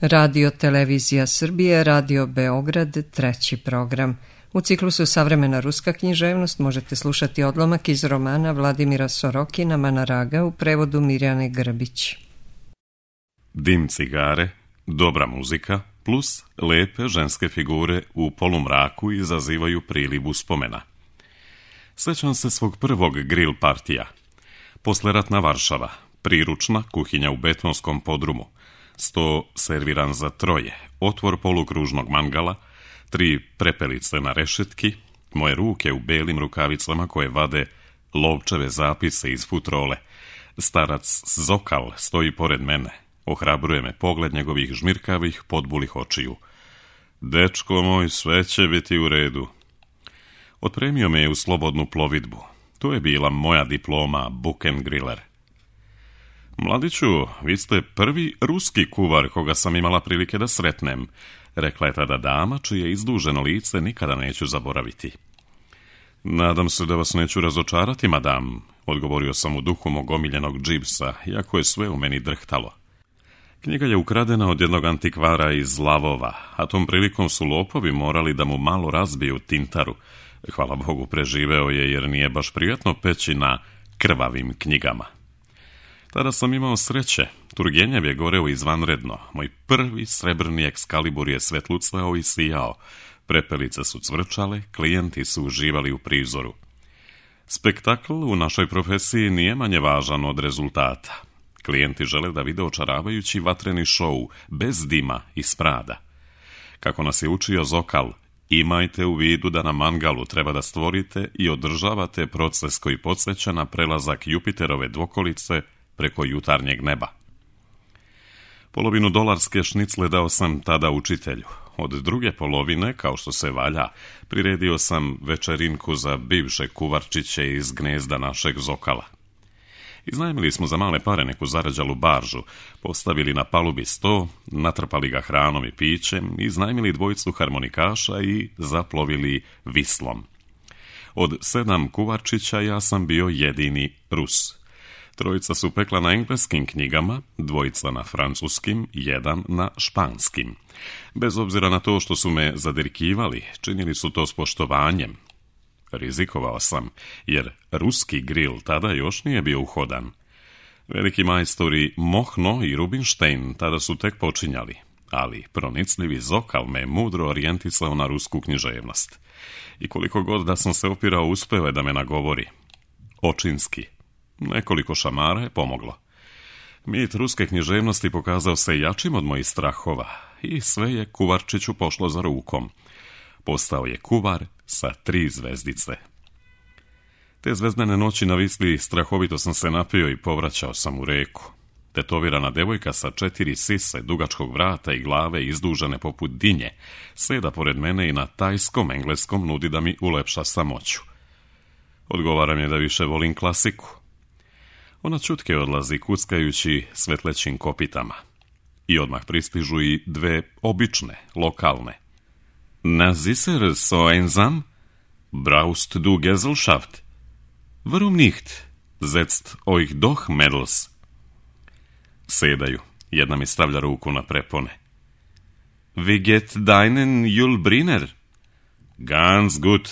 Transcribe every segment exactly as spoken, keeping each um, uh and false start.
Radio Televizija Srbije, Radio Beograd, treći program. U ciklusu Savremena ruska književnost možete slušati odlomak iz romana Vladimira Sorokina Manaraga u prevodu Mirjane Grbić. Dim cigare, dobra muzika plus lepe ženske figure u polumraku izazivaju priliv uspomena. Sećam se svog prvog grill partija. Posleratna Varšava, priručna kuhinja u betonskom podrumu, sto serviran za troje, otvor polukružnog mangala, tri prepelice na rešetki, moje ruke u belim rukavicama koje vade lovčeve zapise iz futrole. Starac Zokal stoji pored mene, ohrabruje me pogled njegovih žmirkavih, podbulih očiju. Dečko moj, sve će biti u redu. Otpremio me je u slobodnu plovidbu. To je bila moja diploma Buchengriller. Mladiću, vi ste prvi ruski kuvar koga sam imala prilike da sretnem, rekla je tada dama, čije izduženo lice nikada neću zaboraviti. Nadam se da vas neću razočarati, madam, odgovorio sam u duhu mog omiljenog džipsa, iako je sve u meni drhtalo. Knjiga je ukradena od jednog antikvara iz Lavova, a tom prilikom su lopovi morali da mu malo razbiju tintaru. Hvala Bogu, preživeo je jer nije baš prijatno peći na krvavim knjigama. Tada sam imao sreće. Turgenjev je goreo izvanredno. Moj prvi srebrni ekskalibur je svetlucao i sijao. Prepelice su cvrčale, klijenti su uživali u prizoru. Spektakl u našoj profesiji nije manje važan od rezultata. Klijenti žele da vide očaravajući vatreni šou, bez dima i smrada. Kako nas je učio Zokal, imajte u vidu da na mangalu treba da stvorite i održavate proces koji podsjeća na prelazak Jupiterove dvokolice preko jutarnjeg neba. Polovinu dolarske šnicle dao sam tada učitelju. Od druge polovine, kao što se valja, priredio sam večerinku za bivše kuvarčiće iz gnezda našeg Zokala. Iznajmili smo za male pare neku zarađalu baržu, postavili na palubi sto, natrpali ga hranom i pićem, iznajmili dvojicu harmonikaša i zaplovili Vislom. Od sedam kuvarčića ja sam bio jedini Rus. Trojica su pekla na engleskim knjigama, dvojica na francuskim, jedan na španskim. Bez obzira na to što su me zadirkivali, činili su to s poštovanjem. Rizikovao sam, jer ruski grill tada još nije bio uhodan. Veliki majstori Mohno i Rubinstein tada su tek počinjali, ali pronicljivi Zokal me mudro orijentisao na rusku književnost. I koliko god da sam se opirao, uspeo je da me nagovori. Očinski. Nekoliko šamara je pomoglo. Mit ruske književnosti pokazao se jačim od mojih strahova i sve je kuvarčiću pošlo za rukom. Postao je kuvar sa tri zvezdice. Te zvezdane noći na Visli strahovito sam se napio i povraćao sam u reku. Tetovirana devojka sa četiri sise, dugačkog vrata i glave izdužene poput dinje, seda pored mene i na tajskom engleskom nudi da mi ulepša samoću. Odgovaram je da više volim klasiku. Ona čutke odlazi kuckajući svetlećim kopitama. I odmah pristižu i dve obične, lokalne. Na sicher so einsam? Braust du Gesellschaft? Warum nicht? Setzt euch doch, Mädels. Sedaju. Jedna mi stavlja ruku na prepone. Wie geht deinen Julbriner? Ganz gut.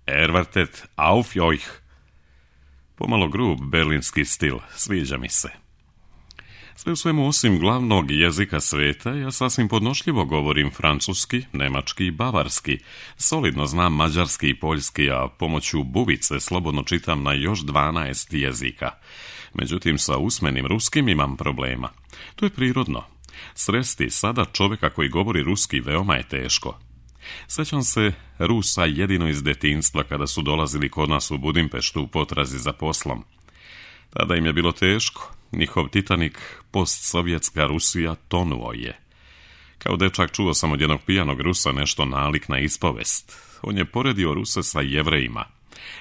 Er wartet auf euch. Pomalo grub berlinski stil, sviđa mi se. Sve u svemu osim glavnog jezika sveta, ja sasvim podnošljivo govorim francuski, nemački i bavarski, solidno znam mađarski i poljski, a pomoću bubice slobodno čitam na još dvanaest jezika. Međutim, sa usmenim ruskim imam problema. To je prirodno. Sresti sada čovjeka koji govori ruski veoma je teško. Sećam se Rusa jedino iz detinjstva kada su dolazili kod nas u Budimpeštu u potrazi za poslom. Tada im je bilo teško. Njihov Titanik, postsovjetska Rusija, tonuo je. Kao dečak čuo sam od jednog pijanog Rusa nešto nalik na ispovest. On je poredio Ruse sa Jevrejima.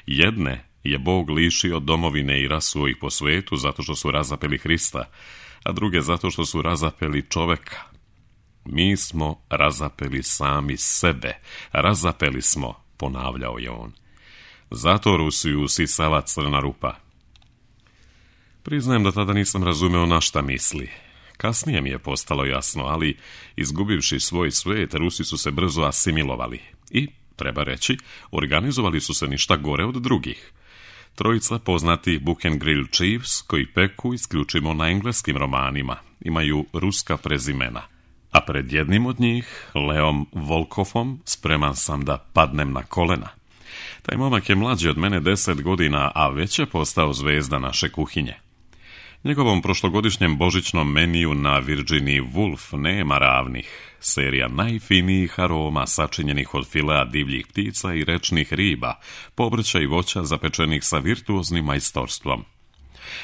Jedne je Bog lišio domovine i rasuo ih po svetu zato što su razapeli Hrista, a druge zato što su razapeli čoveka. Mi smo razapeli sami sebe. Razapeli smo, ponavljao je on. Zato Rusiju usisava crna rupa. Priznajem da tada nisam razumeo na šta misli. Kasnije mi je postalo jasno, ali izgubivši svoj svijet, Rusi su se brzo asimilovali i, treba reći, organizovali su se ništa gore od drugih. Trojica poznatih Book and Grill Chiefs, koji peku isključivo na engleskim romanima, imaju ruska prezimena. A pred jednim od njih, Leom Volkovom, spreman sam da padnem na kolena. Taj momak je mlađi od mene deset godina, a već je postao zvezda naše kuhinje. Njegovom prošlogodišnjem božićnom meniju na Virginiji Woolf nema ravnih. Serija najfinijih aroma sačinjenih od filea divljih ptica i rečnih riba, povrća i voća zapečenih sa virtuoznim majstorstvom.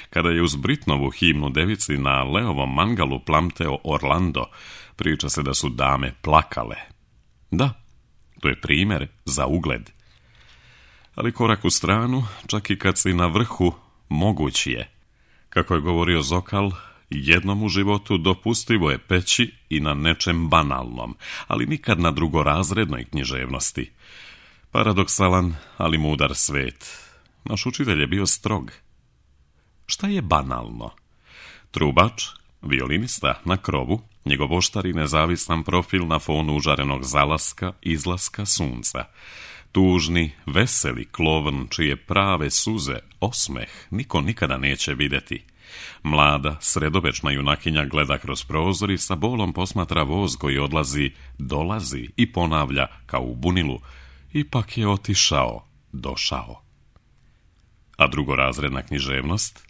Kada je uz Britnovu himnu devici na Leovom mangalu plamteo Orlando, priča se da su dame plakale. Da, to je primjer za ugled. Ali korak u stranu, čak i kad si na vrhu, moguć je. Kako je govorio Zokal, jednom u životu dopustivo je peći i na nečem banalnom, ali nikad na drugorazrednoj književnosti. Paradoksalan, ali mudar svet. Naš učitelj je bio strog. Šta je banalno? Trubač, violinista na krovu, njegov oštar i nezavisan profil na fonu užarenog zalaska, izlaska sunca. Tužni, veseli klovn, čije prave suze, osmeh, niko nikada neće vidjeti. Mlada, sredovečna junakinja gleda kroz prozor i sa bolom posmatra voz koji odlazi, dolazi i ponavlja kao u bunilu. Ipak je otišao, došao. A drugorazredna književnost?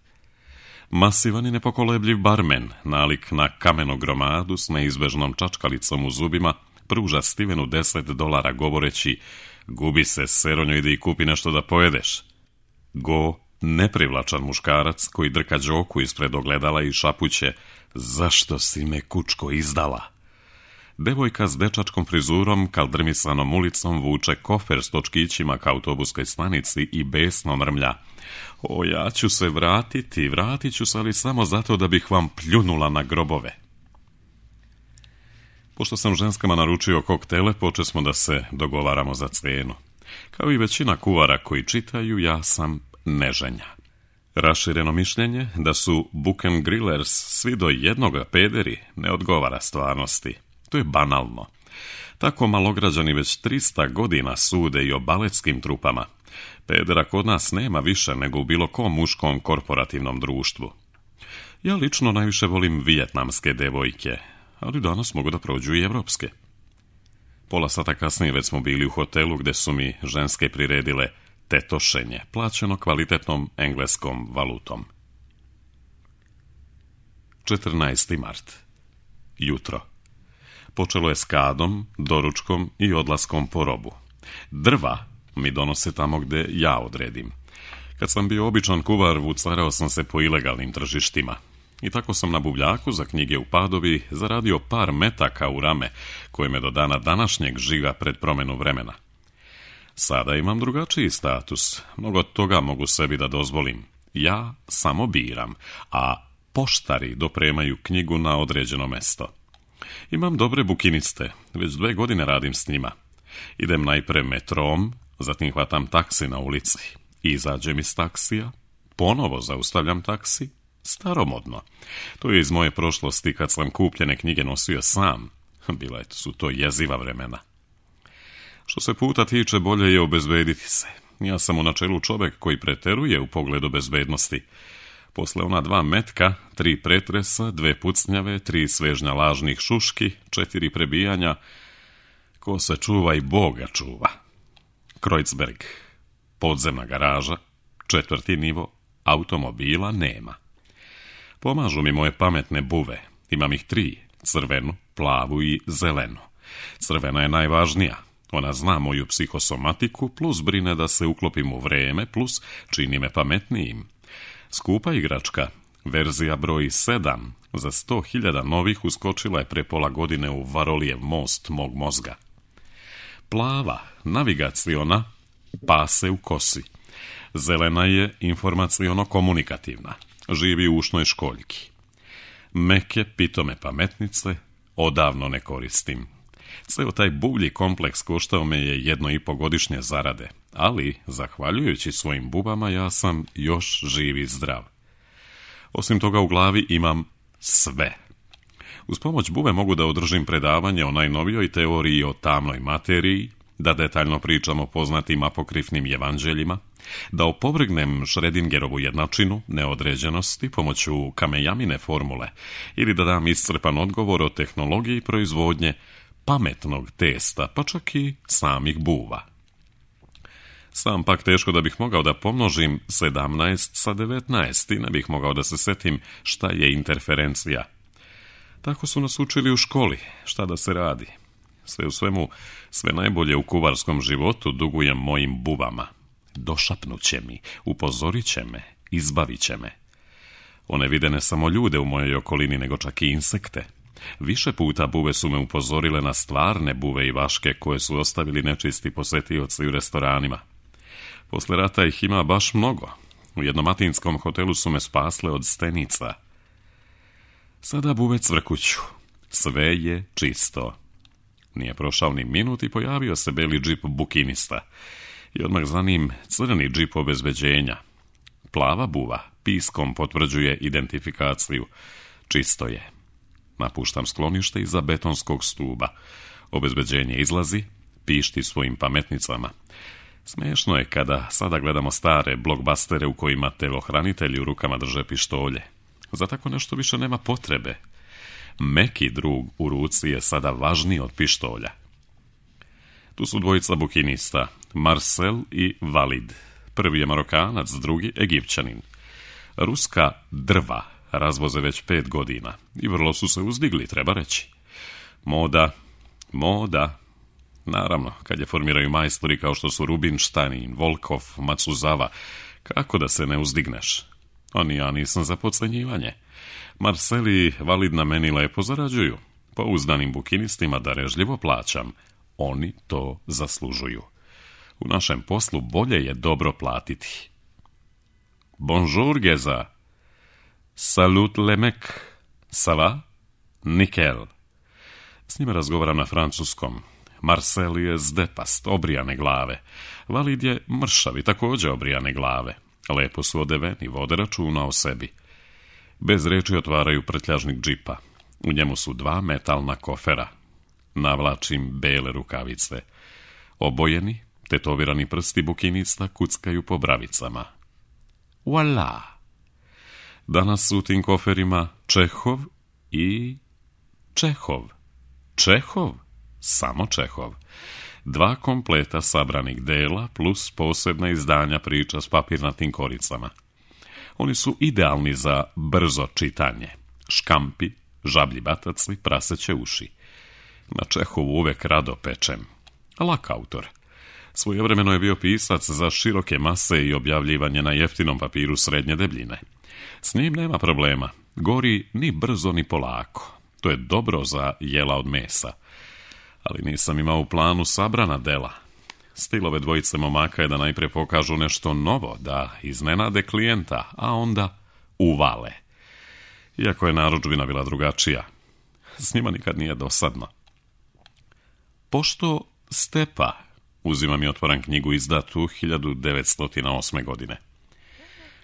Masivan i nepokolebljiv barmen, nalik na kamenu gromadu s neizbežnom čačkalicom u zubima, pruža Stevenu deset dolara govoreći: gubi se, seronjo, idi i kupi nešto da pojedeš. Go, neprivlačan muškarac koji drka đoku ispred ogledala i šapuće: zašto si me, kučko, izdala? Devojka s dečačkom frizurom, kaldrmisanom ulicom, vuče kofer s točkićima ka autobuskoj stanici i besno mrmlja: o, ja ću se vratiti, vratit ću se, ali samo zato da bih vam pljunula na grobove. Pošto sam ženskama naručio koktele, počesmo da se dogovaramo za cenu. Kao i većina kuvara koji čitaju, ja sam neženja. Rašireno mišljenje da su Book and Grillers svi do jednoga pederi ne odgovara stvarnosti. To je banalno. Tako malograđani već trista godina sude i o baletskim trupama. Pedera kod nas nema više nego u bilo kom muškom korporativnom društvu. Ja lično najviše volim vijetnamske devojke, ali danas mogu da prođu i evropske. Pola sata kasnije već smo bili u hotelu gde su mi ženske priredile tetošenje, plaćeno kvalitetnom engleskom valutom. četrnaesti mart. Jutro. Počelo je s kadom, doručkom i odlaskom po robu. Drva mi donose tamo gde ja odredim. Kad sam bio običan kuvar, vucarao sam se po ilegalnim tržištima. I tako sam na buvljaku za knjige u Padovi zaradio par metaka u rame, koje me do dana današnjeg žiga pred promjenu vremena. Sada imam drugačiji status, mnogo toga mogu sebi da dozvolim. Ja samo biram, a poštari dopremaju knjigu na određeno mesto. Imam dobre bukiniste, već dve godine radim s njima. Idem najpre metrom, zatim hvatam taksi na ulici. Izađem iz taksija, ponovo zaustavljam taksi, staromodno. To je iz moje prošlosti kad sam kupljene knjige nosio sam. Bila su to jeziva vremena. Što se puta tiče, bolje je obezbediti se. Ja sam u načelu čovjek koji preteruje u pogledu bezbednosti. Posle ona dva metka, tri pretresa, dve pucnjave, tri svežnja lažnih šuški, četiri prebijanja, ko se čuva i Boga čuva. Kreuzberg, podzemna garaža, četvrti nivo, automobila nema. Pomažu mi moje pametne buve, imam ih tri, crvenu, plavu i zelenu. Crvena je najvažnija, ona zna moju psihosomatiku, plus brine da se uklopim u vreme, plus čini me pametnijim. Skupa igračka, verzija broj sedam, za sto hiljada novih uskočila je pre pola godine u Varolijev most mog mozga. Plava, navigaciona, pase u kosi. Zelena je informaciono-komunikativna, živi u ušnoj školjki. Meke, pitome pametnice, odavno ne koristim. Ceo taj buvlji kompleks koštao me je jedno i po godišnje zarade, ali, zahvaljujući svojim bubama, ja sam još živ i zdrav. Osim toga, u glavi imam sve. Uz pomoć bube mogu da održim predavanje o najnovijoj teoriji o tamnoj materiji, da detaljno pričam o poznatim apokrifnim evanđeljima, da opovrgnem Schrödingerovu jednačinu, neodređenosti pomoću Kamejamine formule ili da dam iscrpan odgovor o tehnologiji proizvodnje pametnog testa, pa čak i samih buva. Sam pak teško da bih mogao da pomnožim sedamnaest sa devetnaest i ne bih mogao da se setim šta je interferencija. Tako su nas učili u školi, šta da se radi. Sve u svemu, sve najbolje u kuvarskom životu dugujem mojim buvama. Došapnut će mi, upozorit će me, izbavit će me. One vide ne samo ljude u mojoj okolini, nego čak i insekte. Više puta buve su me upozorile na stvarne buve i vaške koje su ostavili nečisti posetioci u restoranima. Posle rata ih ima baš mnogo. U jednom atinskom hotelu su me spasle od stenica. Sada buve cvrkuću. Sve je čisto. Nije prošao ni minut i pojavio se beli džip bukinista. I odmah za njim crni džip obezbeđenja. Plava buva piskom potvrđuje identifikaciju. Čisto je. Napuštam sklonište iza betonskog stuba. Obezbeđenje izlazi, pišti svojim pametnicama. Smešno je kada sada gledamo stare blockbustere u kojima telohranitelji u rukama drže pištolje. Za tako nešto više nema potrebe. Meki drug u ruci je sada važniji od pištolja. Tu su dvojica bukinista, Marcel i Valid. Prvi je Marokanac, drugi Egipćanin. Ruska drva razvoze već pet godina i vrlo su se uzdigli, treba reći. Moda, moda. Naravno, kad je formiraju majstori kao što su Rubinštajn, Volkov, Matsuzava, kako da se ne uzdigneš? Oni ja nisam za podcenjivanje. Marcel i Valid na meni lepo zarađuju. Pouzdanim bukinistima darežljivo plaćam. Oni to zaslužuju. U našem poslu bolje je dobro platiti. Bonjour, Geza. Salut, le mec. Ça va? Nikel. S njima razgovaram na francuskom. Marcel je zdepast, obrijane glave. Valid je mršav i također obrijane glave. Lepo su odeveni, vode računa o sebi. Bez reči otvaraju prtljažnik džipa. U njemu su dva metalna kofera. Navlačim bele rukavice. Obojeni, tetovirani prsti bukinista kuckaju po bravicama. Voila! Danas su u tim koferima Čehov i Čehov. Čehov? Samo Čehov. Dva kompleta sabranih dela plus posebna izdanja priča s papirnatim koricama. Oni su idealni za brzo čitanje. Škampi, žablji bataci, praseće uši. Na Čehovu uvek rado pečem. Lak autor. Svojevremeno je bio pisac za široke mase i objavljivanje na jeftinom papiru srednje debljine. S njim nema problema. Gori ni brzo ni polako. To je dobro za jela od mesa. Ali nisam imao u planu sabrana dela. Stil ove dvojice momaka je da najprije pokažu nešto novo, da iznenade klijenta, a onda uvale. Iako je narudžbina bila drugačija. S njima nikad nije dosadno. Pošto Stepa, uzimam i otvoram knjigu izdatu hiljadu devetsto osme godine.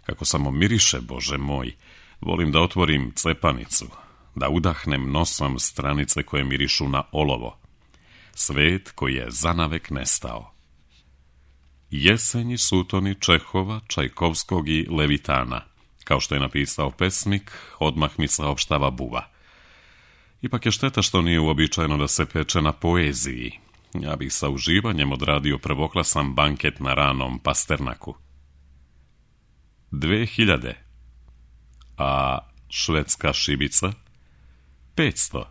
Kako samo miriše, Bože moj, volim da otvorim cepanicu, da udahnem nosom stranice koje mirišu na olovo. Svet koji je zanavek nestao. Jesenji sutoni Čehova, Čajkovskog i Levitana, kao što je napisao pesnik, odmah mi saopštava buva. Ipak je šteta što nije uobičajeno da se peče na poeziji. Ja bih sa uživanjem odradio prvoklasan banket na ranom Pasternaku. Dve hiljade. A švedska šibica? Petsto.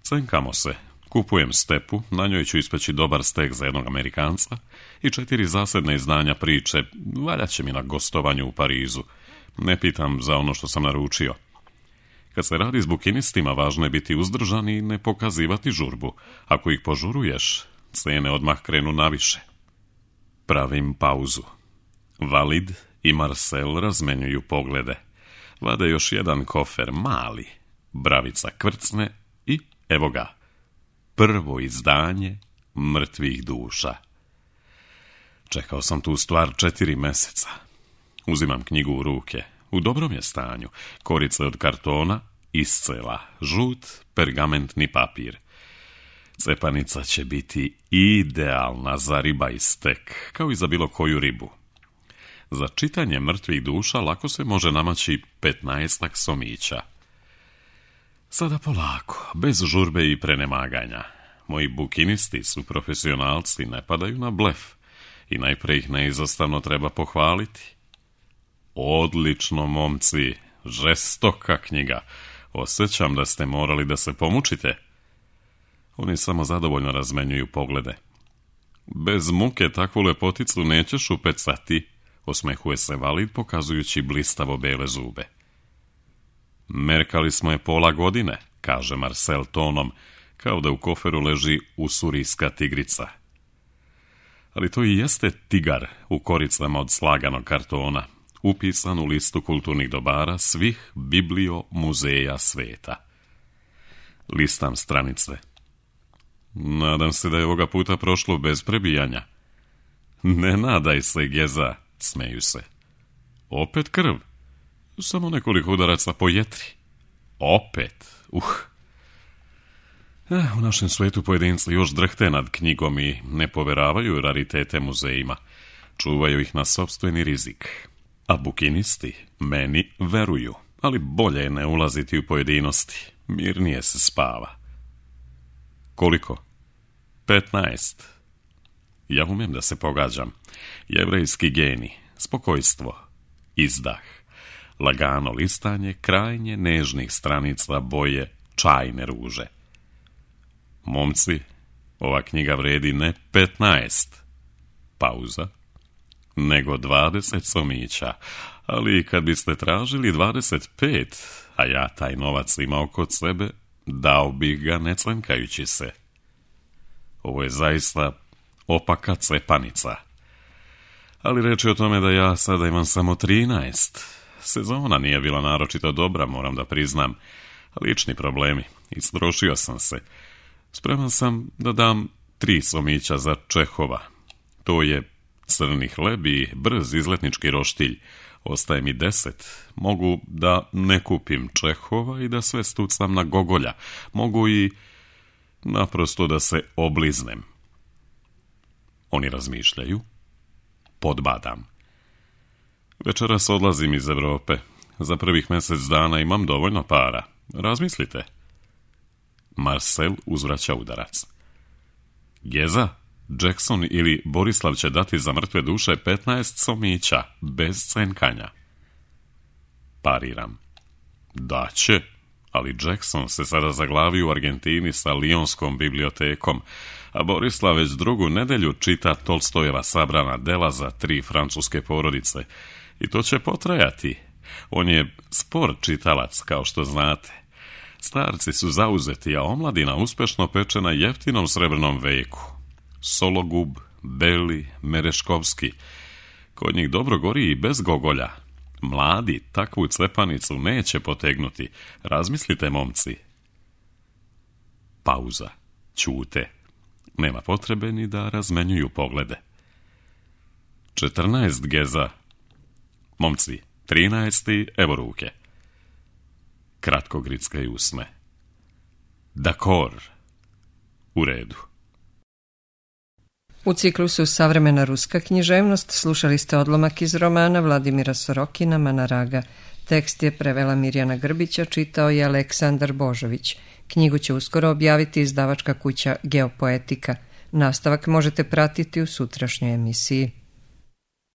Cenkamo se. Kupujem Stepu, na njoj ću ispeći dobar stek za jednog Amerikanca i četiri zasedne izdanja priče, valjaće mi na gostovanju u Parizu. Ne pitam za ono što sam naručio. Kad se radi s bukinistima, važno je biti uzdržan i ne pokazivati žurbu. Ako ih požuruješ, cene odmah krenu naviše. Pravim pauzu. Valid i Marcel razmenjuju poglede. Vade još jedan kofer, mali. Bravica krcne i evo ga. Prvo izdanje mrtvih duša. Čekao sam tu stvar četiri meseca. Uzimam knjigu u ruke. U dobrom je stanju. Korica od kartona, iscela, žut pergamentni papir. Cepanica će biti idealna za riba i stek, kao i za bilo koju ribu. Za čitanje mrtvih duša lako se može namaći petnaestak somića. Sada polako, bez žurbe i prenemaganja. Moji bukinisti su profesionalci, ne padaju na blef i najpre ih neizostavno treba pohvaliti. Odlično, momci, žestoka knjiga. Osjećam da ste morali da se pomučite. Oni samo zadovoljno razmenjuju poglede. Bez muke takvu lepoticu nećeš upecati, osmehuje se Valid pokazujući blistavo bele zube. Merkali smo je pola godine, kaže Marcel tonom, kao da u koferu leži usurijska tigrica. Ali to i jeste tigar u koricama od slaganog kartona, upisan u listu kulturnih dobara svih biblio muzeja sveta. Listam stranice. Nadam se da je ovoga puta prošlo bez prebijanja. Ne nadaj se, Geza, smeju se. Opet krv. Samo nekoliko udaraca po jetri. Opet, uh. Eh, u našem svetu pojedinci još drhte nad knjigom i ne poveravaju raritete muzejima. Čuvaju ih na sopstveni rizik. A bukinisti meni veruju, ali bolje je ne ulaziti u pojedinosti. Mirnije se spava. Koliko? Petnaest. Ja umem da se pogađam. Jevrejski geni, spokojstvo, izdah, lagano listanje krajnje nežnih stranica boje čajne ruže. Momci, ova knjiga vredi ne petnaest, pauza, nego dvadeset somića, ali kad biste tražili dvadeset pet, a ja taj novac imao kod sebe, dao bih ga ne cvenkajući se. Ovo je zaista opaka cepanica. Ali reč je o tome da ja sada imam samo trinaest. Sezona nije bila naročito dobra, moram da priznam. Lični problemi. Istrošio sam se. Spreman sam da dam tri somića za Čehova. To je crni hleb i brz izletnički roštilj. Ostaje mi deset. Mogu da ne kupim Čehova i da sve stucam na Gogolja. Mogu i naprosto da se obliznem. Oni razmišljaju. Podbadam. Večeras odlazim iz Evrope. Za prvih mjesec dana imam dovoljno para. Razmislite. Marcel uzvraća udarac. Geza, Jackson ili Borislav će dati za mrtve duše petnaest somića, bez cenkanja. Pariram. Da će, ali Jackson se sada zaglavi u Argentini sa Lijonskom bibliotekom, a Borislav već drugu nedelju čita Tolstojeva sabrana dela za tri francuske porodice. I to će potrajati. On je spor čitalac, kao što znate. Starci su zauzeti, a omladina uspešno peče na jeftinom srebrnom veku. Sologub, Beli, Mereškovski. Kod njih dobro gori i bez Gogolja. Mladi takvu cepanicu neće potegnuti. Razmislite, momci. Pauza. Ćute. Nema potrebe ni da razmenjuju poglede. Četrnaest Geza. Momci, trinaesti, evo ruke. Kratko grickaju usne. Dakor. U redu. U ciklusu Savremena ruska književnost slušali ste odlomak iz romana Vladimira Sorokina Manaraga. Tekst je prevela Mirjana Grbića, čitao je Aleksandar Božović. Knjigu će uskoro objaviti izdavačka kuća Geopoetika. Nastavak možete pratiti u sutrašnjoj emisiji.